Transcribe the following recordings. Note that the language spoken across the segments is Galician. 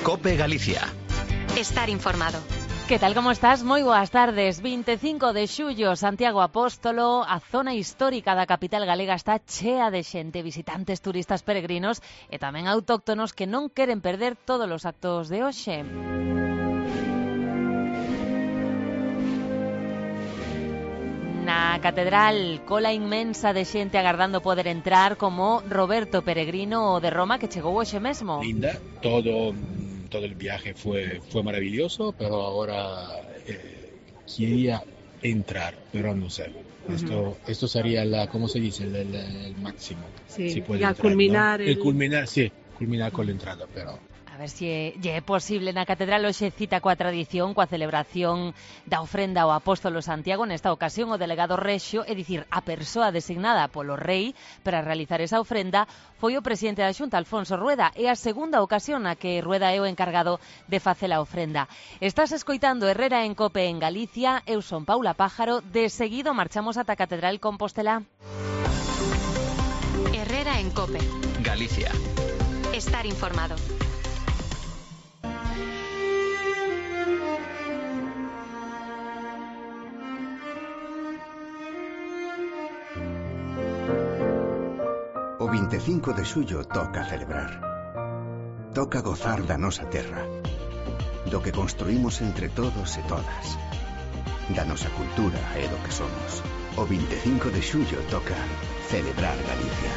COPE Galicia. Estar informado. Que tal, como estás? Moi boas tardes. 25 de xullo, Santiago Apóstolo, a zona histórica da capital galega está chea de xente, visitantes, turistas, peregrinos e tamén autóctonos que non queren perder todos os actos de hoxe. Na catedral, cola inmensa de xente agardando poder entrar, como Roberto Peregrino, o de Roma, que chegou hoxe mesmo. Linda, todo el viaje fue maravilloso, pero ahora quería entrar, pero no sé. Esto sería ¿cómo se dice? El máximo. Sí, si puede y al entrar, culminar... ¿no? Culminar con la entrada, pero... A ver se é posible. Na catedral hoxe cita coa tradición, coa celebración da ofrenda ao Apóstolo Santiago. Nesta ocasión o delegado rexio, é dicir, a persoa designada polo rei para realizar esa ofrenda, foi o presidente da Xunta, Alfonso Rueda. É a segunda ocasión na que Rueda é o encargado de facer a ofrenda. Estás escoitando Herrera en COPE en Galicia. Eu son Paula Pájaro. De seguido marchamos ata a Catedral Compostela. Herrera en COPE Galicia. Estar informado. O 25 de xullo toca celebrar. Toca gozar da nosa terra, do que construímos entre todos e todas, da nosa cultura e do que somos. O 25 de xullo toca celebrar Galicia.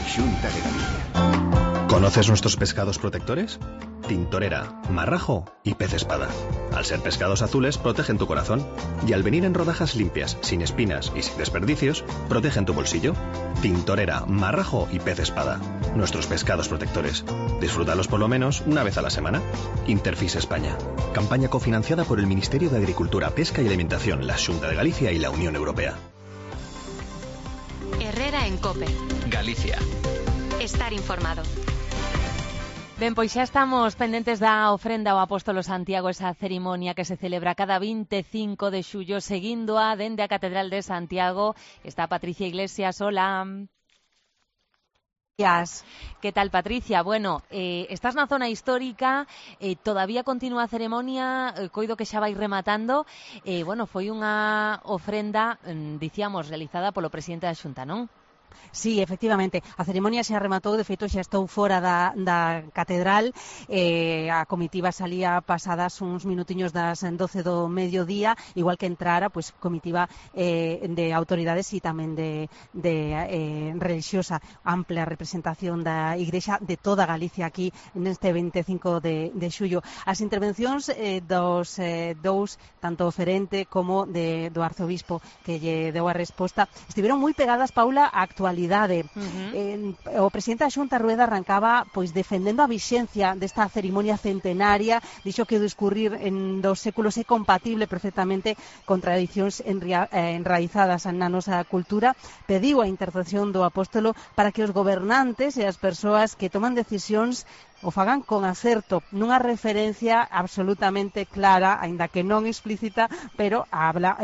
Xunta de Galicia. ¿Conoces nuestros pescados protectores? Tintorera, marrajo y pez espada. Al ser pescados azules, protegen tu corazón. Y al venir en rodajas limpias, sin espinas y sin desperdicios, protegen tu bolsillo. Tintorera, marrajo y pez espada. Nuestros pescados protectores. Disfrútalos por lo menos una vez a la semana. Interfis España. Campaña cofinanciada por el Ministerio de Agricultura, Pesca y Alimentación, la Xunta de Galicia y la Unión Europea. Herrera en COPE Galicia. Estar informado. Ben, pois xa estamos pendentes da ofrenda ao Apóstolo Santiago, esa cerimonia que se celebra cada 25 de xullo, seguíndoa dende a Catedral de Santiago. Está Patricia Iglesias, hola. Que tal, Patricia? Bueno, estás na zona histórica, todavía continúa a ceremonia, coido que xa vai rematando. Bueno, foi unha ofrenda, dicíamos, realizada polo presidente da Xunta, non? Sí, efectivamente, a ceremonia xa rematou, de feito xa estou fora da catedral, a comitiva salía pasadas uns minutiños das 12 do mediodía, igual que entrara, pois comitiva de autoridades e tamén de religiosa, ampla representación da Igrexa de toda Galicia aquí neste 25 de xullo. As intervencións dos dous, tanto o ferente como do arzobispo que lle deu a resposta, estiveron moi pegadas, Paula, a actualidade. O presidente da Xunta, Rueda, arrancaba pois defendendo a vixencia desta cerimonia centenaria, dixo que o discurrir dos séculos é compatible perfectamente con tradicións enraizadas na nosa cultura. Pediu a intercesión do apóstolo para que os gobernantes e as persoas que toman decisións o fagan con acerto, nunha referencia absolutamente clara, aínda que non explícita, pero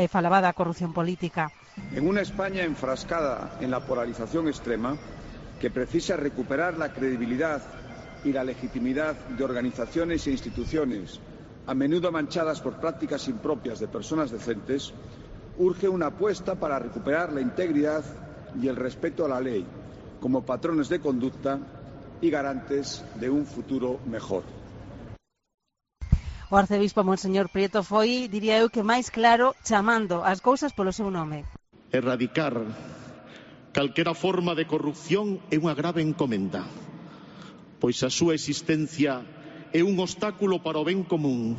falaba da corrupción política. En una España enfrascada en la polarización extrema, que precisa recuperar la credibilidad y la legitimidad de organizaciones e instituciones, a menudo manchadas por prácticas impropias de personas decentes, urge una apuesta para recuperar la integridad y el respeto a la ley, como patrones de conducta y garantes de un futuro mejor. O arcebispo Monseñor Prieto foi, diría eu, que máis claro, chamando as cousas polo seu nome. Erradicar calquera forma de corrupción é unha grave encomenda, pois a súa existencia é un obstáculo para o ben común,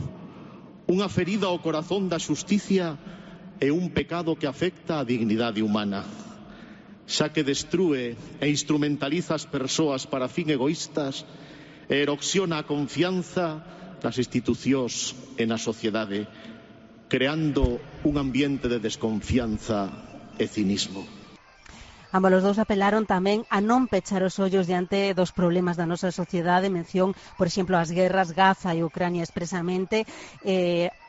unha ferida ao corazón da xusticia e un pecado que afecta a dignidade humana, xa que destrúe e instrumentaliza as persoas para fin egoístas e erosiona a confianza nas institucións e na sociedade, creando un ambiente de desconfianza e cinismo. Ambos os dous apelaron tamén a non pechar os ollos diante dos problemas da nosa sociedade, mención, por exemplo, as guerras, Gaza e Ucrania expresamente,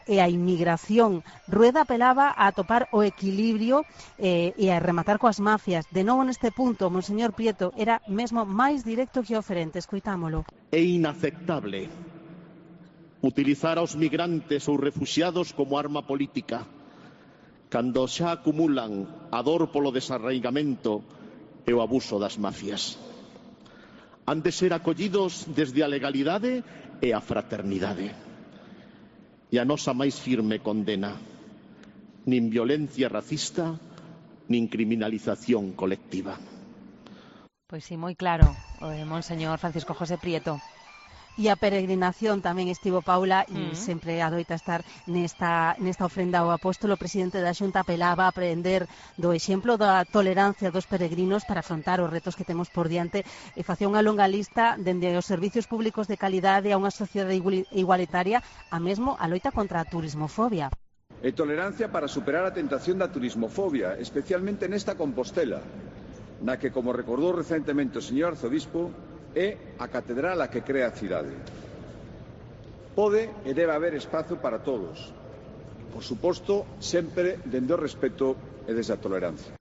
e a inmigración. Rueda apelaba a atopar o equilibrio e a rematar coas mafias. De novo neste punto, monseñor Prieto era mesmo máis directo que oferente. Escoitámolo. É inaceptable utilizar aos migrantes ou refuxiados como arma política cando xa acumulan a dor polo desarraigamento e o abuso das mafias. Han de ser acollidos desde a legalidade e a fraternidade. E a nosa máis firme condena: nin violencia racista, nin criminalización colectiva. Pois sí, moi claro, monseñor Francisco José Prieto. E a peregrinación tamén estivo, Paula, e sempre adoita estar nesta ofrenda ao apóstolo. O presidente da Xunta apelaba a aprender do exemplo da tolerancia dos peregrinos para afrontar os retos que temos por diante e facía unha longa lista dende os servicios públicos de calidade a unha sociedade igualitaria a mesmo a loita contra a turismofobia. E tolerancia para superar a tentación da turismofobia, especialmente nesta Compostela, na que, como recordou recentemente o señor arzobispo, é a catedral a que crea a cidade. Pode e debe haber espazo para todos, por suposto, sempre dende o respeto e desde a tolerancia.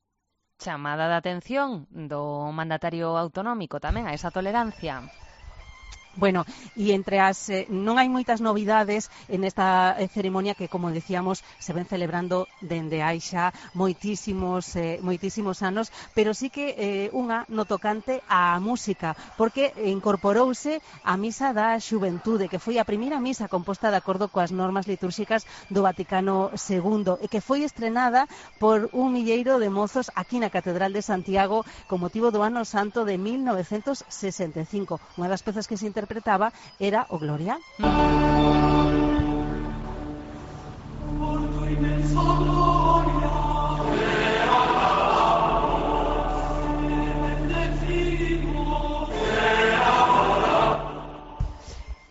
Chamada de atención do mandatario autonómico tamén a esa tolerancia. Bueno, e entre as non hai moitas novidades en esta ceremonia que, como decíamos, se ven celebrando dende hai xa moitísimos anos, pero sí que unha no tocante á música, porque incorporouse a Misa da Xuventude, que foi a primeira misa composta de acordo coas normas litúrxicas do Vaticano II e que foi estrenada por un milleiro de mozos aquí na Catedral de Santiago con motivo do Ano Santo de 1965. Unha das pezas que se interpretaba era o Gloria.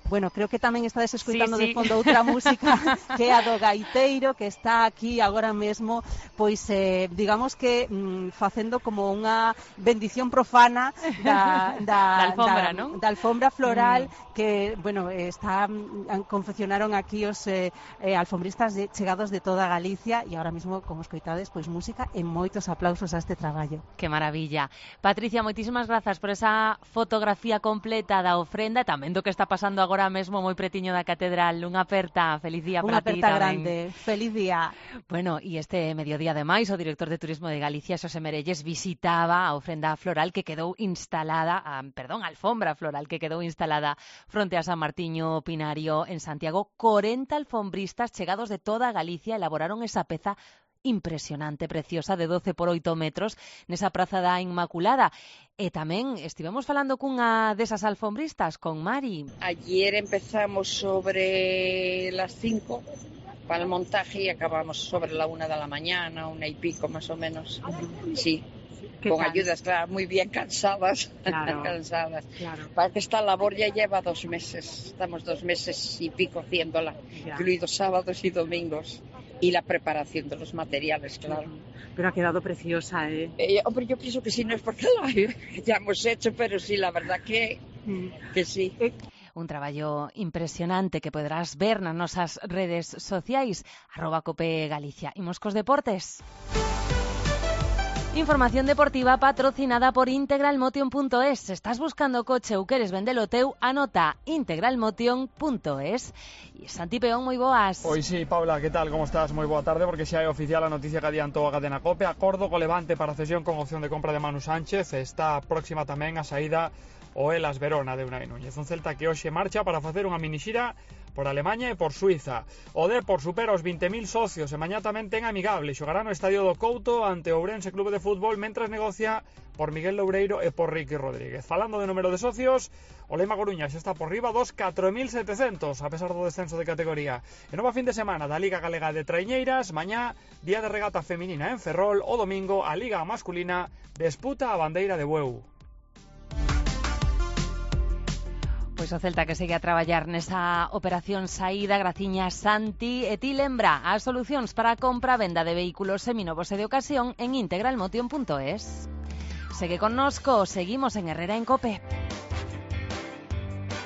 Bueno, creo que tamén estades escoitando de fondo outra música que é a do gaiteiro, que está aquí agora mesmo, pois digamos que facendo como unha bendición profana da alfombra floral que, bueno, confeccionaron aquí os alfombristas chegados de toda Galicia e agora mesmo, como escoitades, pois música e moitos aplausos a este traballo. Que maravilla. Patricia, moitísimas grazas por esa fotografía completa da ofrenda, tamén do que está pasando agora mesmo moi pretiño da catedral. Unha aperta, feliz día para ti tamén. Unha aperta grande, feliz día. Bueno, e este mediodía ademais o director de Turismo de Galicia, Xosé Merelles, visitaba a ofrenda floral que quedou instalada, alfombra floral que quedou instalada fronte a San Martiño Pinario en Santiago. 40 alfombristas chegados de toda Galicia elaboraron esa peza impresionante, preciosa, de 12 por 8 metros nesa Praza da Inmaculada. E tamén estivemos falando cunha desas alfombristas, con Mari. Ayer empezamos sobre las 5 para el montaje y acabamos sobre la 1 de la mañana, 1 y pico más o menos. Sí. Con ayudas, claro, muy bien cansadas. Claro, cansadas. Claro. Para que esta labor ya lleva 2 meses. Estamos 2 meses y pico haciéndola, incluidos sábados y domingos. Y la preparación de los materiales, claro. Pero ha quedado preciosa, ¿eh? Hombre, yo pienso que sí, no es porque la ya hemos hecho, pero sí, la verdad que sí. Un traballo impresionante que poderás ver nas nosas redes sociais, @COPEGalicia. Imos cos deportes. Información deportiva patrocinada por integralmotion.es. Se estás buscando coche ou queres vendelo teu, anota integralmotion.es. E Santi Peón, moi boas. Pois sí, Paula, que tal? Como estás? Moi boa tarde, porque xa é oficial a noticia que adiantou a cadena COPE. Acordo co Levante para cesión con opción de compra de Manu Sánchez. Está próxima tamén a saída o Elas Verona de Unai Núñez. Un Celta que hoxe marcha para facer unha minixira por Alemanha e por Suiza. O Depor supera os 20.000 socios e mañá tamén ten amigable. Xogará no Estadio do Couto ante o Ourense Clube de Fútbol mentras negocia por Miguel Loureiro e por Ricky Rodríguez. Falando de número de socios, o Lema Coruña xa está por riba dos 4.700 a pesar do descenso de categoría. E nova fin de semana da Liga Galega de Traiñeiras, mañá día de regata feminina en Ferrol, o domingo a Liga masculina disputa a bandeira de Bueu. Pois o Celta que segue a traballar nesa operación saída, graciña Santi, e ti lembra as solucións para a compra e venda de vehículos seminovos e de ocasión en integralmotion.es. Segue connosco, seguimos en Herrera en Cope.